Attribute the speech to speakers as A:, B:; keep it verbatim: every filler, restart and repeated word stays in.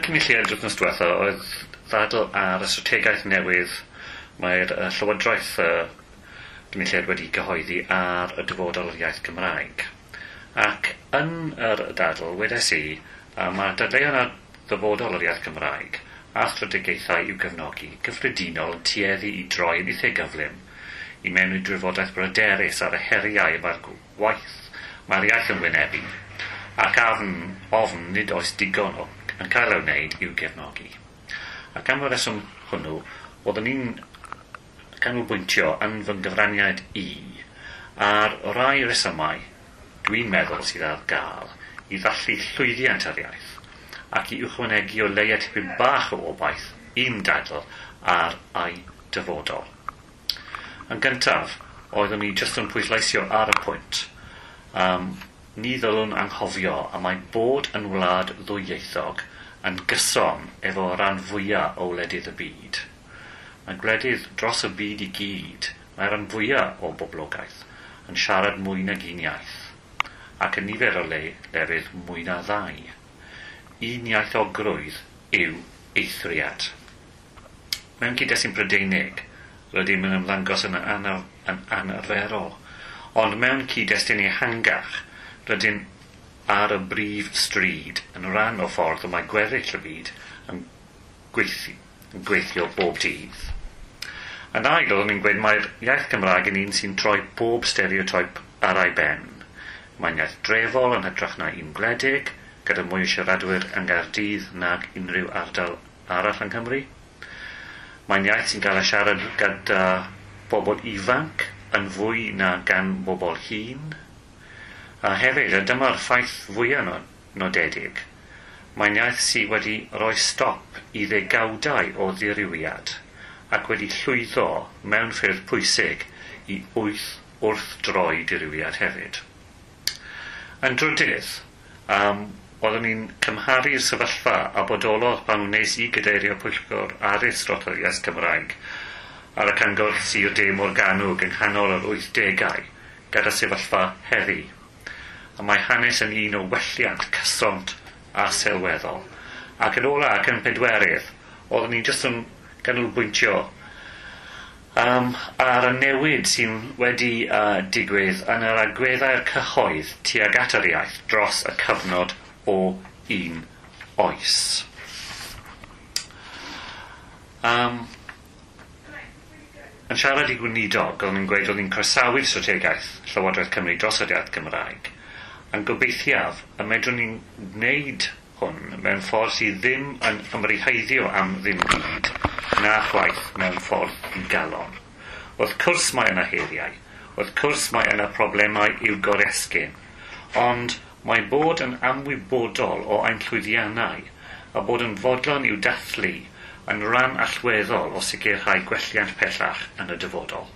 A: Cynulliad wythnos diwetha oedd ddadl ar y strategaeth newydd mae'r uh, Llywodraeth uh, Gynulliad wedi gyhoeddi ar y dyfodol yr iaith Gymraeg. Ac yn yr dadl, wedes i, uh, mae dadleuon ar ddyfodol yr iaith Gymraeg a strategaethau i'w gefnogi gyffredinol yn tueddu i droi yn eitha gyflym i mewn i drafodaeth bryderus ar y heriau mae'r gwaith mae'r iaith yn wynebu ac afn, ofn nid oes digon o, yn cael ei wneud i'w gefnogi. Ac am y reswm hwnnw, oeddwn i'n canolbwyntio yn fy nghyfraniad i ar rai resymau dwi'n meddwl sydd ar gael i ddathlu llwyddiant yr iaith ac i ychwanegu o leia tipyn bach o obaith i'm dadl ar ei dyfodol. Yn gyntaf, oeddwn i jyst yn pwysleisio ar y pwynt. Um, ni ddylwn anghofio a mae bod yn wlad ddwyieithog yn gyson efo ran fwyaf o wledydd y byd. Mae gwledydd dros y byd i gyd, mae ran fwyaf o boblogaeth yn siarad mwy nag un iaith, ac yn nifer o le lefydd mwy na ddau. Un iaithogrwydd yw eithriad. Mewn cyd-destun Prydeinig, rydym yn ymddangos yn, anaf, yn anarferol, ond mewn cyd-destun ehangach, rydym ar y brif stryd yn rhan o ffordd y mae gweddill y byd yn gweithio, yn gweithio bob dydd. Yn ail, oeddwn i'n gweud mae'r iaith Gymraeg yn un sy'n troi bob stereotype ar ei ben. Mae'n iaith drefol yn hytrach na un gwledig, gyda mwy o siaradwyr yng Nghaerdydd nag unrhyw ardal arall yng Nghymru. Mae'n iaith sy'n cael ei siarad gyda bobl ifanc yn fwy na gan bobl hŷn. A hefyd, a dyma'r ffaith fwyaf nodedig, mae'n iaith sydd wedi rhoi stop i ddegawdau o ddirywiad ac wedi llwyddo mewn ffyrdd pwysig i wyth wrth droi dirywiad hefyd. Yn drydydd, um, oeddwn i'n cymharu'r sefyllfa a bodolodd pan wnes i gadeirio pwyllgor addysg dros yr iaith Cymraeg ar y Cyngor Sir De Morgannwg yng nghanol yr wythdegau gyda sefyllfa heddi. A mae hanes yn un o welliant cyson a sylweddol. Ac yn ola ac yn pedwerydd, oeddwn i'n jyst yn ganolbwyntio um, ar y newid sy'n wedi uh, digwydd yn yr agweddau'r cyhoedd tuag at yr iaith dros y cyfnod o un oes. Um, yn siarad i gweinidog, oeddwn i'n gweud oedd hi'n croesawu'r strategaeth Llywodraeth Cymru dros yr iaith Gymraeg, yn gobeithiaf y medrwn ni'n wneud hwn mewn ffordd sydd ddim yn ymriheiddio am ddim byd, na chwaith mewn ffordd ddigalon. Wrth cwrs mae yna heriau, wrth cwrs mae yna problemau i'w goresgyn, ond mae bod yn amwybodol o ein llwyddiannau a bod yn fodlon i'w dathlu yn rhan allweddol o sicrhau gwelliant pellach yn y dyfodol.